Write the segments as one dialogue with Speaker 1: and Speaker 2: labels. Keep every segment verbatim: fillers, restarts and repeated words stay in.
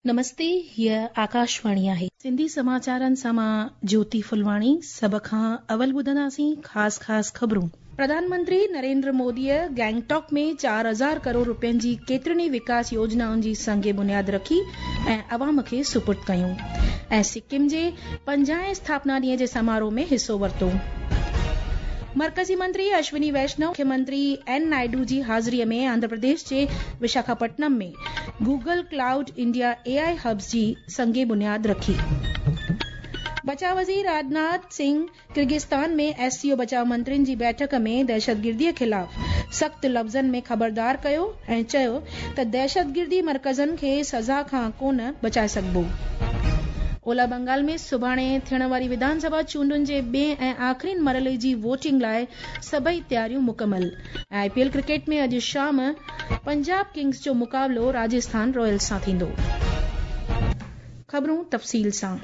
Speaker 1: نمستي، هيء آڪاشواڻي آهي. سنڌي سماچارن سان مان جيوتي ڦلواڻي. سڀ کان اول ٻڌنداسين خاص خاص خبرون. پرڌان منتري نريندر موديء گينگٽاڪ ۾ چار هزار ڪروڙ رپين جي ڪيترين ئي وڪاس يوجنائن جي سنگ بنياد رکي ۽ عوام کي سپرد ڪيون ۽ سڪم جي پنجاهين اسٿاپنا ڏينهن جي سماروهه ۾ حصو ورتو. مرڪزي منتري اشوني ويشنو مکيه منتري اين نائيڊو جي حاضريء ۾ آنڌرا پرديش جي Visakhapatnam ۾ Google Cloud India A I hubs جي سنگ بنياد رکي. بچاء وزير راجناٿ سنگهه ڪرغستان ۾ ايس سي او بچاء منترين جي بيٺڪ ۾ دهشتگرديء خلاف سخت لفظن ۾ خبردار ڪيو ۽ چيو ته دهشتگردي مرڪزن کي سزا کان ڪونه بچائي سگهبو. اولهه بنگال ۾ سڀاڻي ٿيڻ واري وڌان سڀا چونڊن جي ٻئين ۽ آخرين مرحلي جي ووٽنگ لاء سڀئي تياريون مڪمل. ۽ آء پي ايل ڪرڪيٽ ۾ اڄ شام پنجاب ڪنگز جو مقابلو راجسٿان رائلز سان ٿيندو. خبرون تفصيل سان.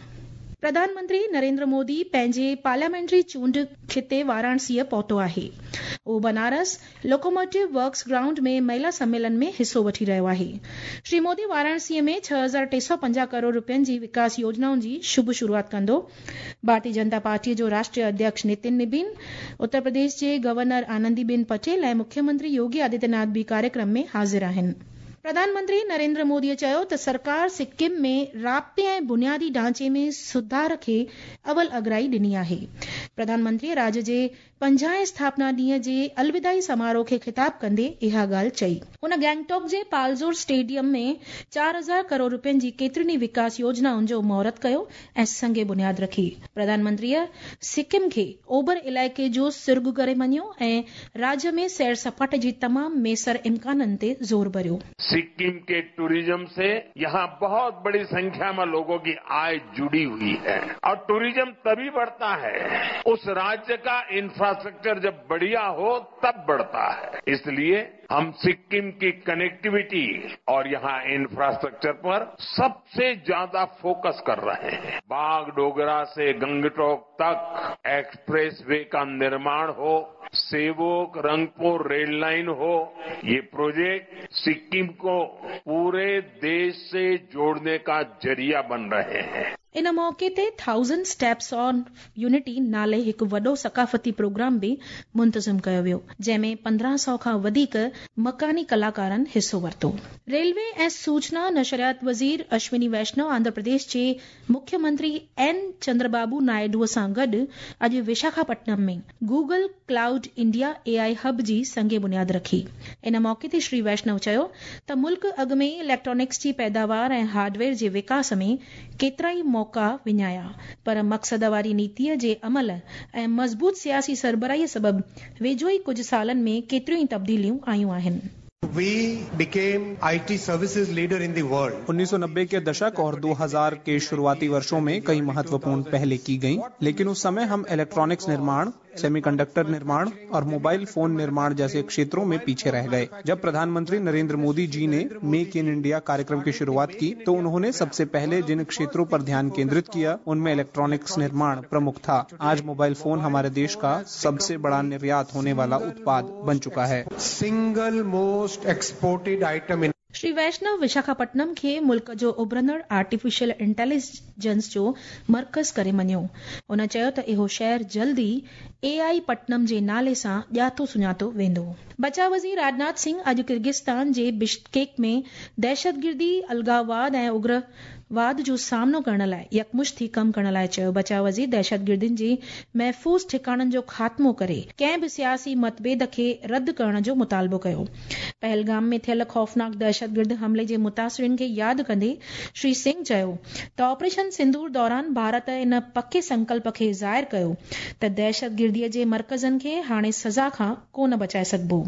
Speaker 1: پرڌان منتري نريندر مودي پنهنجي پارليامينٽري چونڊ خطي واراڻسيء پهتو آهي. اهو بنارس لوڪوموٽو ورڪس گرائونڊ ۾ مهلا سميلن ۾ حصو وٺي رهيو آهي. شري مودي واراڻسيء ۾ ڇهه هزار ٽي سؤ پنجاهه ڪروڙ رپين جي وڪاس يوجنائن جي شڀ شروعات ڪندو. ڀارتي جنتا پارٽيء جو راشٽريه اڌيڪش نتن نبين، اتر پرديش جي گورنر آنندي بين پٽيل ۽ مکيه منتري يوگي آدتيه ناٿ به ڪاريڪرم ۾ حاضر آهن. پرڌان منتري نريندر موديء چيو ته سرڪار سڪم ۾ رابطي ۽ بنيادي ڍانچي ۾ سڌار کي اول اڳرائي ڏني آهي. پرڌان منتريء راڄ جي پنجاهين اسٿاپنا ڏينهن جي الوداعي سماروهه کي خطاب ڪندي اها ڳالهه چئي. هن گينگٽاڪ جي پالزور اسٽيڊيم ۾ چار هزار ڪروڙ رپين جي ڪيترين ئي وڪاس يوجنائن جو مهورت ڪيو ۽ سنگ بنياد رکي. پرڌان منتريء سڪم کي اوڀر علائقي جو سرڳ ڪري مڃيو ۽ راڄ ۾ سير سپاٽي جي تمام ميسر امڪانن تي زور ڀريو.
Speaker 2: सिक्किम के टूरिज्म से यहां बहुत बड़ी संख्या में लोगों की आय जुड़ी हुई है और टूरिज्म तभी बढ़ता है, उस राज्य का इंफ्रास्ट्रक्चर जब बढ़िया हो तब बढ़ता है। इसलिए हम सिक्किम की कनेक्टिविटी और यहां इंफ्रास्ट्रक्चर पर सबसे ज्यादा फोकस कर रहे हैं। बागडोगरा से गंगटोक तक एक्सप्रेस वे का निर्माण हो, सेवोक रंगपुर रेल लाइन हो, ये प्रोजेक्ट सिक्किम को पूरे देश से जोड़ने का जरिया बन रहे हैं।
Speaker 1: ان موقعي تي ٿائوزنڊ اسٽيپس آن يونٽي نالي هڪ وڏو ثقافتي پروگرام به منتظم ڪيو ويو، جنهن ۾ پندرهن سؤ کان وڌيڪ مڪاني ڪلاڪارن حصو ورتو. ريلوي ۽ سوچنا نشريات وزير اشوني ويشنو آنڌرا پرديش جي مکيه منتري اين چندربابو نائيڊو سان گڏ اڄ Visakhapatnam ۾ Google Cloud India A I hub جي سنگ بنياد رکي. ان موقعي تي شري ويشنو چيو ته ملڪ اڳ ۾ ئي اليڪٽرانڪس جي پيداوار ۽ هارڊويئر جي وڪاس ۾ ڪيترائي موقعا وڃايا، پر مقصد واري نيتيء جي عمل ۽ مضبوط سياسي سربراهيء سبب ويجهو ئي ڪجهه سالن ۾ ڪيتريون ئي تبديليون آيون آهن.
Speaker 3: We became I T services leader in the world.
Speaker 4: उन्नीस सौ नब्बे के दशक और दो हज़ार के शुरुआती वर्षों में कई महत्वपूर्ण पहलें की गईं, लेकिन उस समय हम इलेक्ट्रॉनिक्स निर्माण, सेमीकंडक्टर निर्माण और मोबाइल फोन निर्माण जैसे क्षेत्रों में पीछे रह गए। जब प्रधानमंत्री नरेंद्र मोदी जी ने मेक इन इंडिया कार्यक्रम की शुरुआत की तो उन्होंने सबसे पहले जिन क्षेत्रों पर ध्यान केंद्रित किया उनमें इलेक्ट्रॉनिक्स निर्माण प्रमुख था। आज मोबाइल फोन हमारे देश का सबसे बड़ा निर्यात होने वाला उत्पाद बन चुका है।
Speaker 3: Single most exported item in
Speaker 1: Shri Vaishnaw Visakhapatnam खे मुल्क जो उभरंदड़ आर्टिफिशियल इंटेलिजेंस जो मर्कज़ करे मञियो। हुन चयो त इहो शहर जल्द ई ए आई पटनम जे नाले सां ڄاتو सुञातो वेंदो। बचाء वज़ीर राजनाथ सिंह अॼु किर्गिस्तान जे बिश्केक में दहशतगिर्दी, अलगाववाद ऐं उग्रवाद जो सामनो करण लाइ यकमुश्त थी कमु करण लाइ चयो। बचाء वज़ीर दहशतगिर्दियुनि जी महफ़ूज़ ठिकाणनि जो ख़ात्मो करे कंहिं बि सियासी मतभेद खे रद्द करण जो मुतालबो कयो। पहलगाम में थियल ख़ौफ़नाक दहशतगिर्द हमले जे मुतासिरिन खे यादि कंदे श्री सिंह चयो त ऑपरेशन सिंदूर दौरान भारत इन पके संकल्प खे ज़ाहिर कयो त दहशतगिर्दीअ जे मर्कज़नि खे हाणे सज़ा खां कोन बचाए सघिबो।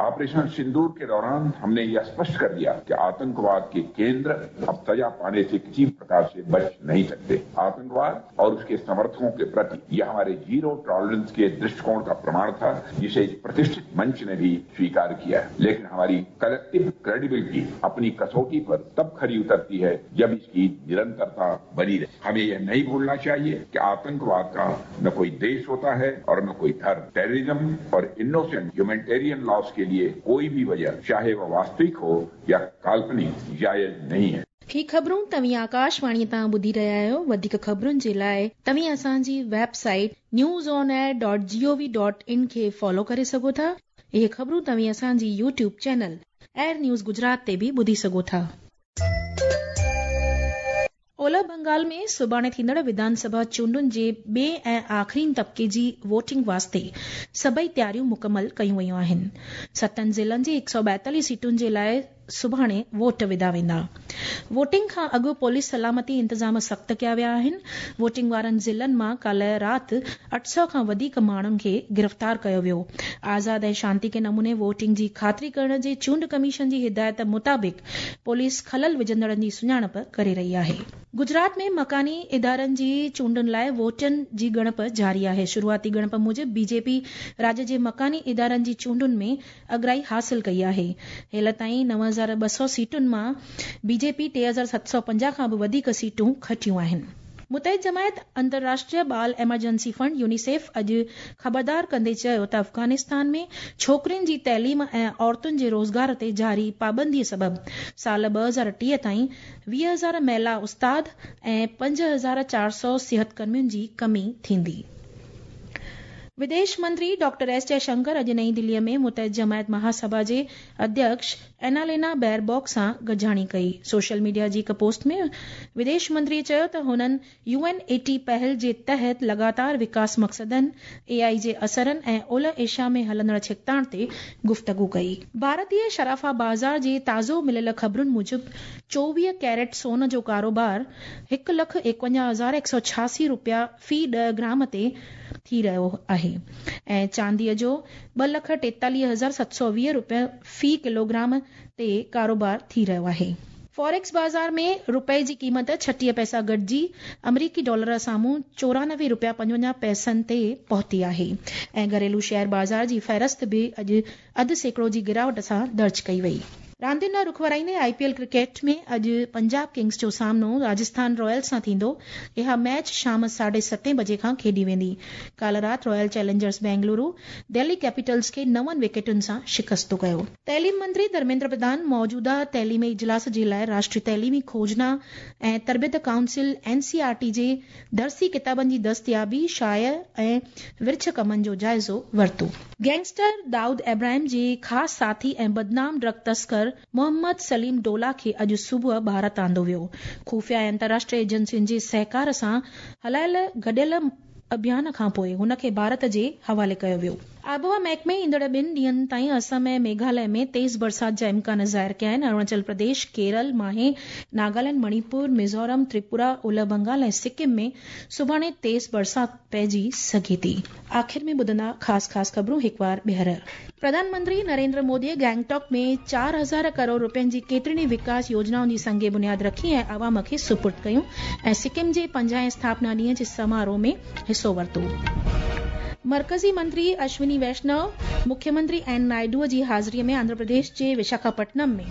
Speaker 5: ऑपरेशन सिंदूर के दौरान हमने यह स्पष्ट कर दिया कि आतंकवाद के केंद्र अब सजा पाने से किसी प्रकार से बच नहीं सकते। आतंकवाद और उसके समर्थकों के प्रति यह हमारे जीरो टॉलरेंस के दृष्टिकोण का प्रमाण था, जिसे प्रतिष्ठित मंच ने भी स्वीकार किया। लेकिन हमारी कलेक्टिव क्रेडिबिलिटी अपनी कसौटी पर तब खरी उतरती है जब इसकी निरंतरता बनी रहे। हमें यह नहीं भूलना चाहिए कि आतंकवाद का न कोई देश होता है और न कोई धर्म। टेररिज्म और इनोसेंट ह्यूमैनिटेरियन लॉस के लिए कोई भी वजह, चाहे वह वास्तविक हो या काल्पनिक, जायज नहीं है।
Speaker 1: ही ख़बरूं तव्हीं आकाशवाणी तां ॿुधी रहिया आहियो। वधीक ख़बरुनि जे लाइ तव्हीं असांजी website news on air dot G O V dot in खे फॉलो करे सघो था। इहे ख़बरूं तव्हीं असांजी YouTube channel AIR news Gujarat ते बि ॿुधी सघो था। ओलह बंगाल में सुभाणे थींदड़ विधानसभा चूंडुनि जे ॿिए ऐं आख़िरीन तबिके जी वोटिंग वास्ते सभई तयारियूं मुकमल कयूं वयूं आहिनि। सतनि ज़िलनि जी हिकु सौ ॿाएतालीह सीटुनि जे लाइ सुभाणे वोट विधा वेंदा। वोटिंग खां अॻु पुलिस सलामती इंतज़ाम सख़्त कया विया आहिनि। वोटिंग वारनि ज़िलनि मां काल्ह राति अठ सौ खां वधीक माण्हुनि खे गिरफ़्तार कयो वियो। आज़ाद ऐं शांति नमूने वोटिंग जी ख़ातिरी करण जे चूंड कमीशन जी हिदायत मुताबिक़ पुलिस ख़लल विझंदड़नि जी सुञाणप करे रही आहे। गुजरात में मकानी इदारनि जी चूंडुनि लाइ वोटनि जी ॻणप जारी आहे। शुरूआती ॻणप मूजिबि बीजेपी राज्य जे मकानी इदारनि जी चूंडुनि में अगराई हासिल कई आहे। हेल ताईं नव हज़ार ॿ सौ सीटुनि मां बीजेपी टे हज़ार सत सौ पंजाह खां बि वधीक सीटूं खटियूं आहिनि। मुतहिद जमायत अंतर्राष्ट्रीय बाल एमरजेंसी फंड यूनिसेफ अॼु ख़बरदार कंदे चयो त अफ़ग़ानिस्तान में छोकिरियुनि जी तइलीम ऐं औरतुनि जे रोज़गार ते जारी पाबंदीअ सबबि साल ॿ हज़ार टीह ताईं वीह हज़ार महिला उस्ताद ऐं पंज हज़ार चार सौ सिहत कर्मियुनि जी कमी थींदी। विदेश मंत्री डॉक्टर एस जयशंकर अॼु नई दिल्लीअ में मुतहिद जमायत महासभा जे अध्यक्ष एनालेना बैरबॉक सां गॾिजाणी कई। सोशल मीडिया जी हिकु पोस्ट में विदेश मंत्री चयो त हुननि यूएनएटी पहल जे तहत लगातार विकास मक़सदनि, एआई जे असरनि ऐं ओलह एशिया में हलंदड़ छिकताण ते गुफ़्तगू कई। भारतीय शराफ़ा बाज़ार जे ताज़ो मिलियल ख़बरुनि मूजिबि चोवीह कैरेट सोन जो कारोबार हिकु लख एकवंजाह हज़ार हिकु सौ छियासी रुपया फ़ी ॾह ग्राम ते थी रहियो आहे ऐं चांदीअ जो ॿ लख टेतालीह हज़ार सत सौ वीह रुपया फ़ी किलोग्राम ते कारोबार थी रहियो आहे। फॉरेक्स बाज़ार में रुपए जी क़ीमत छटीह पैसा घटिजी अमरीकी डॉलर साम्हूं चोरानवे रुपया पंजवंजाह पैसनि ते पहुती आहे ऐं घरेलू शेयर बाज़ार जी फ़हरिस्त बि अॼु अधु सैकड़ो जी गिरावट सां दर्ज कई वई। रांदियुनि ॾांहुं रुख वराईंदे आईपीएल क्रिकेट में अॼु पंजाब किंग्स जो सामनो राजस्थान रॉयल्स सां थींदो। इहा मैच शाम साढे सतें बजे खां खेॾी वेंदी। काल्ह राति Royal Challengers Bengaluru Delhi Capitals खे नवनि विकेटुनि सां शिकस्तो कयो। तइलीम मंत्री धर्मेंद्र प्रधान मौजूदा तइलीमी इजलास जे लाइ राष्ट्रीय तइलीमी खोजना ऐं तरबियत काउंसिल एनसीआरटी जे दरसी किताबनि जी दस्तियाबी, शाया ऐं विर्छ कमनि जो जाइज़ो वरितो। गैंगस्टर दाऊद इब्राहिम जे ख़ासि साथी ऐं बदनाम ड्रग तस्कर मोहम्मद सलीम डोला खे अॼु सुबुह भारत आंदो वियो। खुफिया ऐं अंतर्राष्ट्रीय एजेंसियुनि जे सहकार सां हलायल गॾियल अभियान खां पोइ हुनखे भारत जे हवाले कयो वियो। आबहवा महकमे ईंदड़ ॿिनि ॾींहंनि ताईं असम ऐं मेघालय में तेज़ बरसात जा इम्कान ज़ाहिर कया आहिनि। अरुणाचल प्रदेश, केरल, माहे, नागालैंड, मणिपुर, मिज़ोरम, त्रिपुरा, ओलह बंगाल ऐं सिक्किम में सुभाणे तेज़ बरसात पइजी सघे थी। आख़िर में ॿुधंदा ख़ासि ख़ासि ख़बरूं हिकु वार ॿीहर। प्रधानमंत्री नरेंद्र मोदीअ गैंगटॉक में चार हज़ार करोड़ रुपयनि जी केतिरनि विकास योजनाउनि जी संग बुनियाद रखी ऐं आवाम खे सुपुर्द कयूं ऐं सिक्किम जे पंजाहें स्थापना ॾींहं जे समारोह में हिसो वरितो। मर्कज़ी मंत्री अश्विनी वैष्णव मुख्यमंत्री एन नायडूअ जी हाज़िरीअ में आंध्र प्रदेश जे विशाखापट्टनम में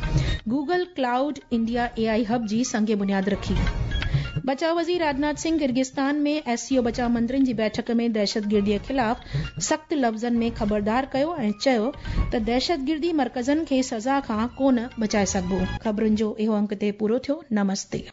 Speaker 1: Google Cloud India AI hub जी संग बुनियाद रखी। बचाव वज़ीर राजनाथ सिंह किर्गिस्तान में एससीओ बचाव मंत्रियुनि जी बैठक में दहशतगिर्दीअ ख़िलाफ़ सख़्त लफ़्ज़नि में ख़बरदार कयो ऐं चयो त दहशतगिर्दी मर्कज़नि खे सज़ा खां कोन बचाए सघिबो। ख़बरुनि जो इहो अंक ते पूरो थियो। नमस्ते।